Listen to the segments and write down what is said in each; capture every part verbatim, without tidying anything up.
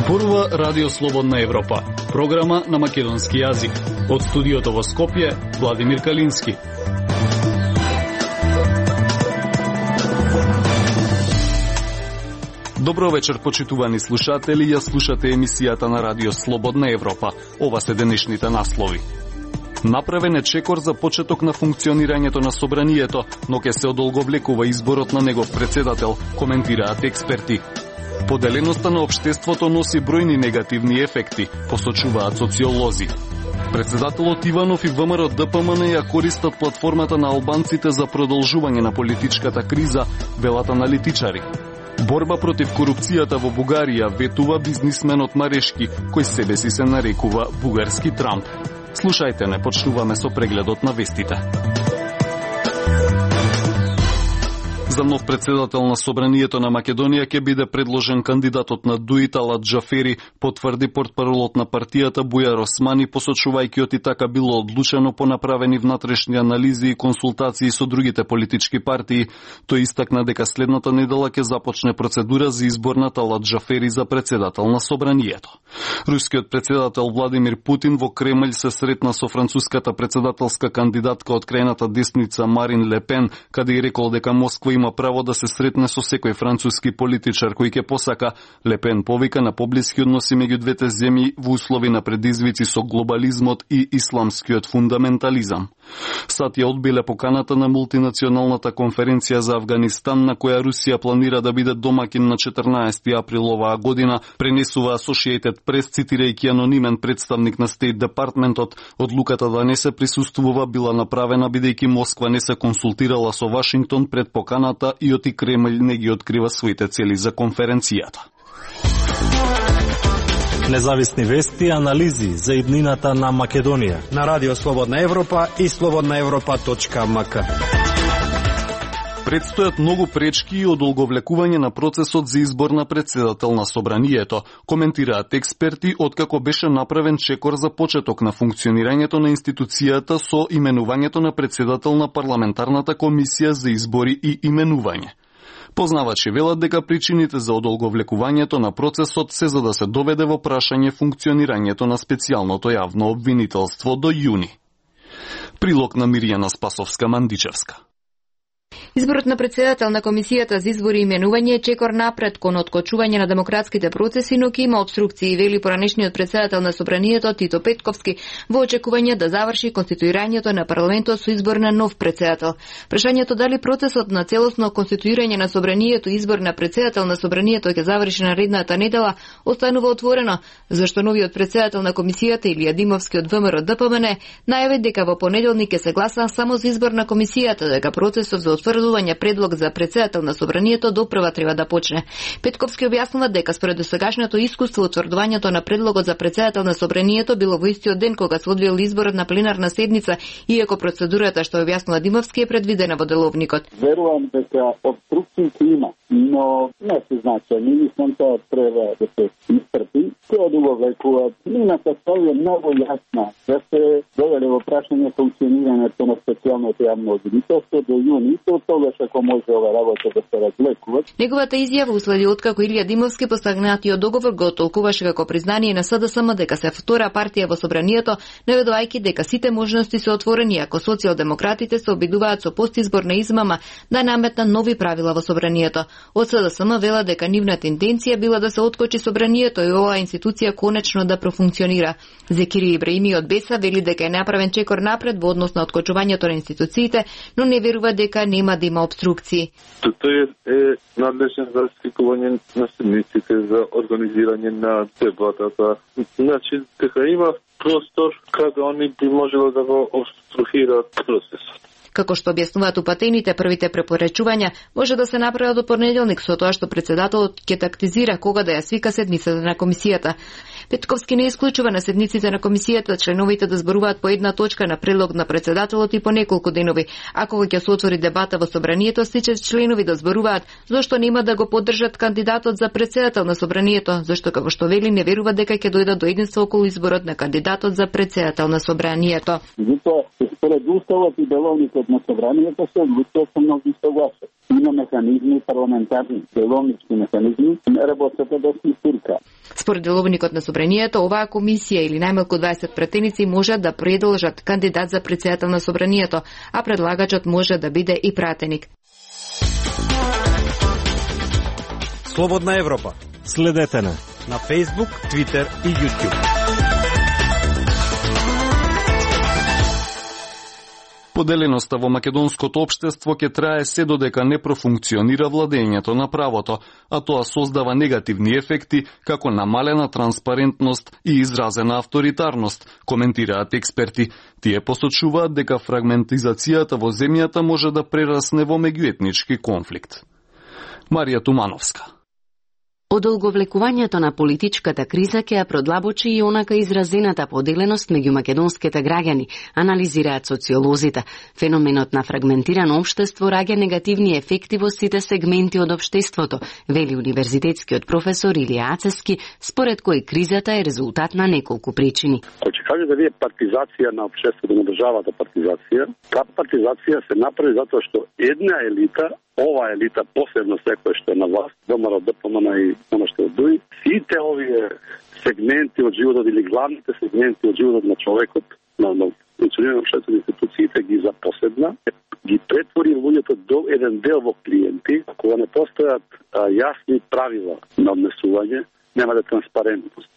Зборува Радио Слободна Европа, програма на македонски јазик. Од студиото во Скопје, Владимир Калински. Добро вечер, почитувани слушатели, ја слушате емисијата на Радио Слободна Европа. Ова се денешните наслови. Направен е чекор за почеток на функционирањето на собранието, но ке се одолговлекува изборот на негов председател, коментираат експерти. Поделеноста на општеството носи бројни негативни ефекти, посочуваат социолози. Председателот Иванов и ВМРО Д П М Н ја користат платформата на албанците за продолжување на политичката криза, велат аналитичари. Борба против корупцијата во Бугарија, ветува бизнисменот Марешки, кој себе си се нарекува бугарски Трамп. Слушајте, не почнуваме со прегледот на вестите. За нов председател на Собранието на Македонија ќе биде предложен кандидатот на ДУИ Талат Джафери, потврди портпаролот на партијата Бујар Османи, посочувајќи оти така било одлучено по направени внатрешни анализи и консултации со другите политички партии. Тој истакна дека следната недела ќе започне процедура за избор на Талат Джафери за председател на Собранието. Рускиот председател Владимир Путин во Кремљ се сретна со француската председателска кандидатка од крајната десница Марин Ле Пен, каде и рекол дека Москва има право да се сретне со секој француски политичар кој ќе посака. Ле Пен повика на поблиски односи меѓу двете земји во услови на предизвици со глобализмот и исламскиот фундаментализам. САД ја одбиле поканата на мултинационалната конференција за Авганистан, на која Русија планира да биде домакин на четрнаесети април оваа година, пренесува Associated Press, цитирајќи анонимен представник на State Departmentот. Одлуката да не се присуствува била направена бидејќи Москва не се консултирала со Вашингтон пред поканата и оти Кремљ не ги открива своите цели за конференцијата. Независни вести и анализи за иднината на Македонија на Радио Слободна Европа и слободна европа точка м к. Предстојат многу пречки и одолговлекување на процесот за избор на председател на Собранието, коментираат експерти, откако беше направен чекор за почеток на функционирањето на институцијата со именувањето на председател на парламентарната комисија за избори и именување. Познавачи велат дека причините за одолговлекувањето на процесот се за да се доведе во прашање функционирањето на специјалното јавно обвинителство до јуни. Прилог на Мирјана Спасовска-Мандичевска. Изборот на председател на Комисијата за избори и именување е чекор напред кон откочување на демократските процеси, но ќе има обструкции, вели поранешниот председател на Собранието Тито Петковски во очекување да заврши конституирањето на парламентот со избор на нов председател. Прашањето дали процесот на целосно конституирање на Собранието и избор на председател на Собранието ќе заврши наредната недела останува отворено, зашто новиот председател на Комисијата Илија Димовски од ВМРО Д П М Н најави дека во понеделник ќе се гласа само за избор на Комисијата, дека процесот за утврдување предлог за председател на Собранието допрва треба да почне. Петковски објаснува дека според досегашното искуство утврдувањето на предлогот за председател на Собранието било во истиот ден кога се одвил изборот на пленарна седница, иако процедурата, што објаснува Димовски, е предвидена во деловникот. Верувам дека обструкции има, но не се значајни, мислам тоа треба да се испрати. Тоа одолговлекува. Мината цел е многу јасна, да се доведе во прашање функционирањето на специјалното јавно обвинителство до јуни, то тогаш ако може ова работа да се разлекува. Неговата изјава уследи откако Илија Димовски постигнатиот договор го толкуваше како признание на С Д С М дека се втора партија во Собранието, наведувајќи дека сите можности се отворени ако социјалдемократите се обидуваат со постизборна измама да наметнат нови правила во Собранието. Од С Д С М вела дека нивната интенција била да се откочи Собранието и оваа институција конечно да профункционира. Зекири Ибраими од Беса вели дека е направен чекор напред во однос на откочувањето на институциите, но не верува дека нема да има обструкции. Тој е надлежен за свикување на седниците, за организирање на дебатата. Значи, дека има простор каде они би можело да го обструхираат процесот. Како што објаснуваат упатените, првите препорачувања може да се направат до понеделник со тоа што председателот ќе тактизира кога да ја свика седницата на комисијата. Петковски не исклучува на седниците на комисијата членовите да зборуваат по една точка на предлог на председателот и по неколку денови. Ако ќе се отвори дебата во Собранието, сите членови да зборуваат зошто нема да го поддржат кандидатот за председател на Собранието, зашто како што вели не верува дека ќе дојдат до единство околу изборот на кандидатот за председател на Собранието. Меѓутоа, се Според уставот и деловникот на собранието се одлучува со мнозинство гласови. Има механизми, парламентарни, деловнички механизми, работата да се истурка. Според деловникот на собранието, оваа комисија или најмалку дваесет пратеници можат да предложат кандидат за претседател на собранието, а предлагачот може да биде и пратеник. Слободна Европа. Следете на на Facebook, Twitter и YouTube. Поделеноста во македонското општество ќе трае се додека не профункционира владењето на правото, а тоа создава негативни ефекти како намалена транспарентност и изразена авторитарност, коментираат експерти. Тие посочуваат дека фрагментизацијата во земјата може да прерасне во меѓуетнички конфликт. Марија Тумановска. Одолговлекувањето на политичката криза ќе ја продлабочи и онака изразената поделеност меѓу македонските граѓани, анализираат социолозите. Феноменот на фрагментирано општество раѓа негативни ефекти во сите сегменти од општеството, вели универзитетскиот професор Илија Ацески, според кој кризата е резултат на неколку причини. Кој ќе каже да вие партизација на општеството, на државата партизација, таа партизација се направи затоа што една елита, ова елита, посебно секој што е на власт, ВМРО, ДПМН и оно што е дуи, сите овие сегменти од животот или главните сегменти од животот на човекот, на, на функционирање на општествени институциите ги запоседна, ги претвори луѓето до еден дел во клиенти, кога не постојат а, јасни правила на однесување, нема да транспарентност,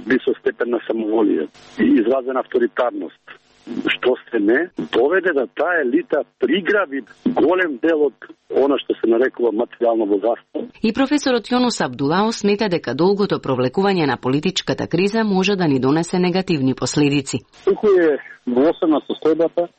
висок степен на самоволие и изразена авторитарност. Што се не доведе да таа елита приграби голем дел од она што се нарекува материјално богатство. И професорот Јонус Абдулао смета дека долгото провлекување на политичката криза може да ни донесе негативни последици. Туку е гласна состојбата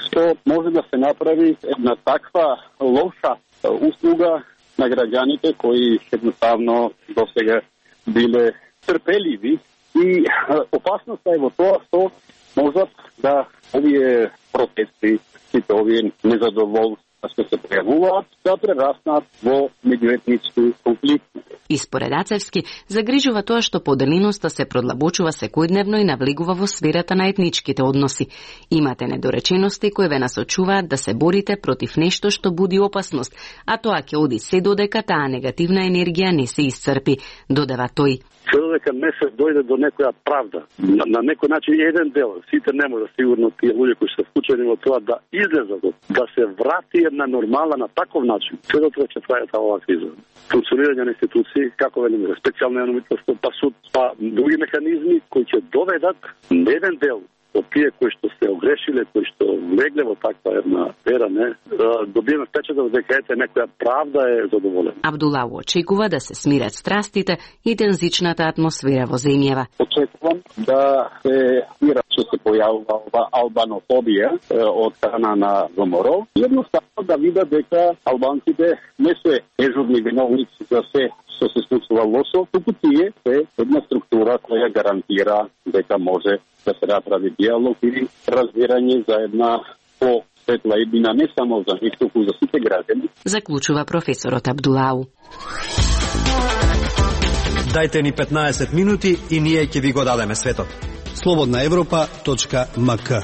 што може да се направи една таква лоша услуга на граѓаните кои едноставно досега биле трпеливи и опасноста е во тоа што можат да овие протести, сите овие незадоволства што се појавуваат, да прераснат во меѓуетнички конфликти. И според Ацевски, загрижува тоа што поделеноста се продлабочува секојдневно и навлегува во сферата на етничките односи. Имате недоречености кои ве насочуваат да се борите против нешто што буди опасност, а тоа ќе оди се додека таа негативна енергија не се исцрпи, додава тој. Се додека не се дојде до некоја правда. На, на некој начин еден дел, сите не може сигурно тие луѓе кои се вклучени во тоа да излезат, да се врати една нормала на таков начин. Се додека ќе трае таа оваа криза. Функционирање на институции, како велиме, специјално јавно-митнарство, па суд, па други механизми кои ќе доведат еден дел од тие кои што се огрешиле, кои што влегле во таква една ера, не, добиеме впечаток дека ете некоја правда е задоволена. Абдулао очекува да се смират страстите и тензичната атмосфера во земјава. Очекувам да се смира што се појавува ова албанофобија од страна на ВМРО. Едноставно да видат дека албанците не се дежурни виновници за се што се случува лошо, туку тие се една структура која гарантира дека може да се направи диалог или разбирање за една по-светла иднина не само за нив, туку за сите граѓани. Заклучува професорот Абдулао. Дајте ни петнаесет минути и ние ќе ви го дадеме светот. слободна европа точка ем ка.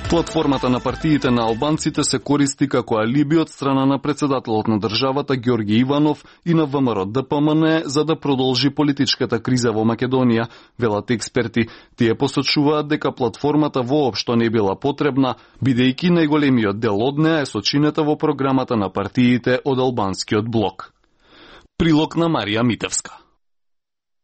Платформата на партиите на албанците се користи како алиби од страна на председателот на државата Ѓорги Иванов и на ВМРО ДПМН за да продолжи политичката криза во Македонија, велат експерти. Тие посочуваат дека платформата воопшто не била потребна, бидејќи најголемиот дел од неа е сочинета во програмата на партиите од албанскиот блок. Прилог на Марија Митевска.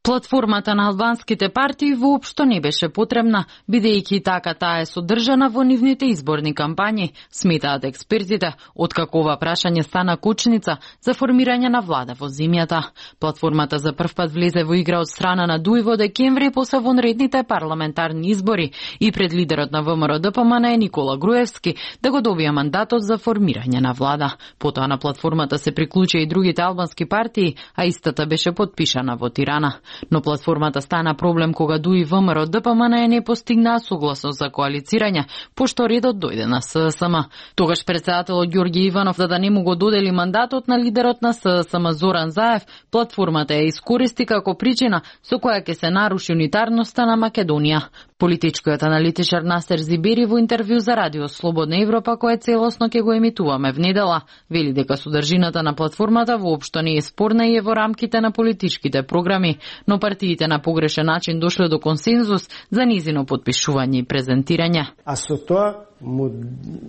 Платформата на албанските партии воопшто не беше потребна, бидејќи така таа е содржана во нивните изборни кампањи, сметаат експертите, откако ова прашање стана кочница за формирање на влада во земјата. Платформата за прв пат влезе во игра од страна на ДУИ во декември после вонредните парламентарни избори и пред лидерот на ВМРО ДПМН Никола Груевски да го добија мандатот за формирање на влада. Потоа на платформата се приклучија и другите албански партии, а истата беше потпишана во Тирана. Но платформата стана проблем кога ДУИ ВМРО ДПМН не постигнаа согласност за коалицирање, пошто редот дојде на ССМ. Тогаш председателот Ѓорѓе Иванов да да не му го додели мандатот на лидерот на ССМ Зоран Заев, платформата ја искористи како причина со која ќе се наруши унитарноста на Македонија. Политичкиот аналитичар Насер Зибери во интервју за Радио Слободна Европа, кое целосно ќе го емитуваме внедела, вели дека содржината на платформата воопшто не е спорна и е во рамките на политичките програми, но партиите на погрешен начин дошле до консензус за низино подпишување и презентирање. А со тоа му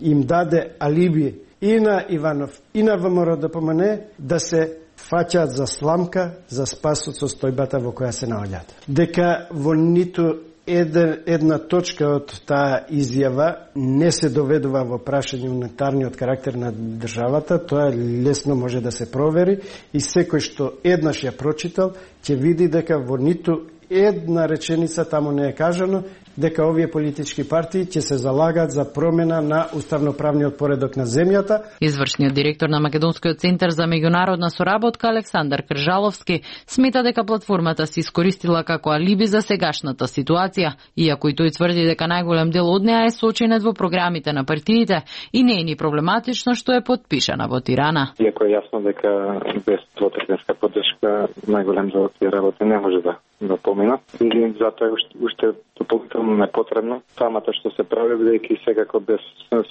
им даде алиби и на Иванов и на ВМРО ДПМН да се фаќаат за сламка за спас од состојбата во која се наоѓаат. Дека во ниту една точка од таа изјава не се доведува во прашање унитарниот карактер на државата, тоа лесно може да се провери и секој што еднаш ја прочитал ќе види дека во ниту една реченица таму не е кажано дека овие политички партии ќе се залагаат за промена на уставноправниот поредок на земјата. Извршниот директор на Македонскиот центар за меѓународна соработка Александар Кржаловски смета дека платформата се искористила како алиби за сегашната ситуација, иако и тој тврди дека најголем дел од неа е сочинет во програмите на партиите и не е ни проблематично што е потпишана во Тирана. Иако е јасно дека без двотретинска поддршка најголем дел од тие работи не може да да поминат и затоа уште, уште дополнително непотребно самата што се прави, бидејќи секако без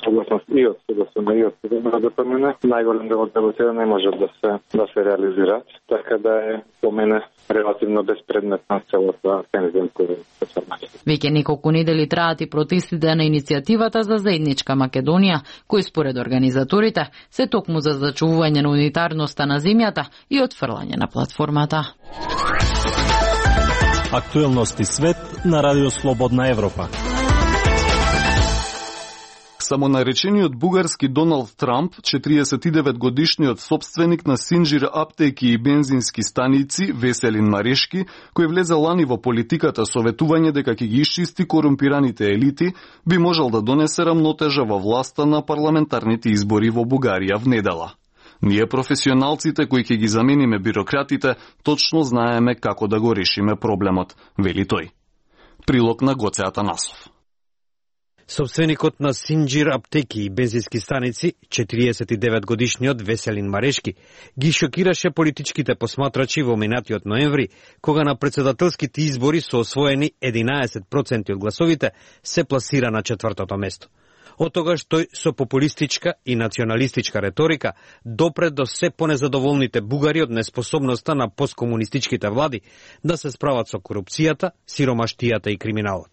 согласност и од СДСМ и од ДПМН најголем дел од работите не може да се да се реализираат, така да е по мене релативно безпредметна целата тензијска трансформација. Веќе неколку недели траат и протестите на иницијативата за заедничка Македонија, кои според организаторите се токму за зачувување на унитарноста на земјата и отфрлање на платформата. Актуелности свет на Радио Слободна Европа. Самонаречениот бугарски Доналд Трамп, четириесет и девет годишниот собственик на синџир аптеки и бензински станици, Веселин Марешки, кој влезе лани во политиката со ветување дека ќе ги исчисти корумпираните елити, би можел да донесе рамнотежа во власта на парламентарните избори во Бугарија внедела. Ние професионалците кои ќе ги замениме бирократите, точно знаеме како да го решиме проблемот, вели тој. Прилог на Гоце Атанасов. Собственикот на синџир аптеки и бензински станици, четириесет и девет годишниот Веселин Марешки, ги шокираше политичките посматрачи во минатиот ноември, кога на председателските избори со освоени единаесет проценти од гласовите се пласира на четвртото место. Од тогаш тој со популистичка и националистичка реторика допре до се понезадоволните бугари од неспособноста на посткомунистичките влади да се справат со корупцијата, сиромаштијата и криминалот.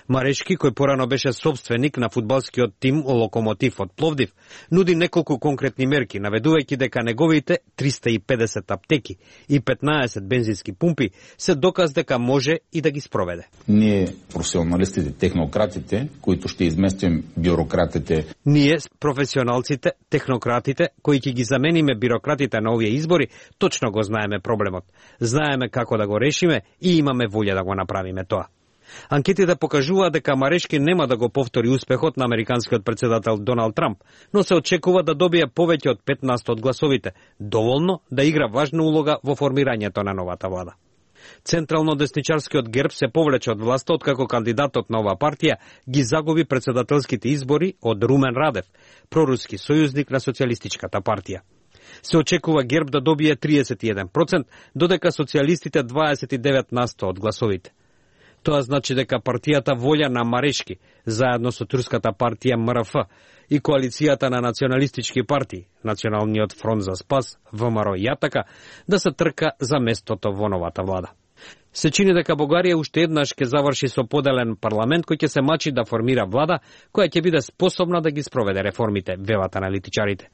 Марешки, кој порано беше собственик на фудбалскиот тим Локомотив од Пловдив, нуди неколку конкретни мерки, наведувајќи дека неговите триста и педесет аптеки и петнаесет бензински пумпи се доказ дека може и да ги спроведе. Ние, професионалистите, технократите, кои ќе изместим бюрократите. Ние, професионалците, технократите, кои ќе ги замениме бюрократите на овие избори, точно го знаеме проблемот. Знаеме како да го решиме и имаме волја да го направиме тоа. Анкетите покажуваат дека Марешки нема да го повтори успехот на американскиот председател Доналд Трамп, но се очекува да добие повеќе од петнаесет од гласовите, доволно да игра важна улога во формирањето на новата влада. Централно десничарскиот ГЕРБ се повлече од власта откако кандидатот на оваа партија ги загуби председателските избори од Румен Радев, проруски сојузник на социјалистичката партија. Се очекува ГЕРБ да добие триесет и еден проценти, додека социјалистите дваесет и девет на сто од гласовите. Тоа значи дека партијата Волја на Марешки, заедно со турската партија М Р Ф и коалицијата на националистички партии, Националниот фронт за спас, В М Р и Јатака, да се трка за местото во новата влада. Се чини дека Бугарија уште еднаш ќе заврши со поделен парламент кој ќе се мачи да формира влада која ќе биде способна да ги спроведе реформите, велат аналитичарите.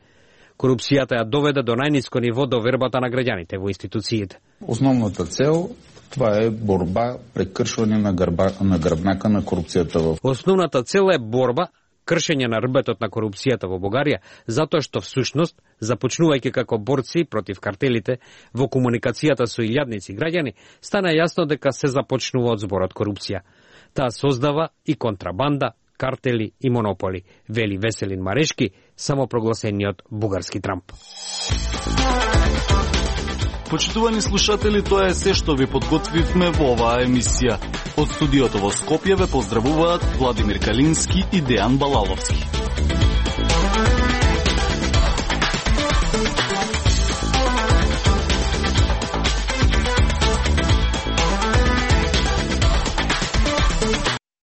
Корупцијата ја доведе до најниско ниво до вербата на граѓаните во институциите. Основната цел това е борба, прекршвање на, грба, на грбнака на корупцијата. Основната цел е борба, кршење на рбетот на корупцијата во Бугарија, затоа што всушност, започнувајќи како борци против картелите во комуникацијата со илјадници граѓани, стана јасно дека се започнува од зборот корупција. Таа создава и контрабанда, картели и монополи, вели Веселин Марешки, самопрогласениот бугарски Трамп. Почитувани слушатели, тоа е се што ви подготвивме во оваа емисија. Од студиото во Скопје ве поздравуваат Владимир Калински и Дејан Балаловски.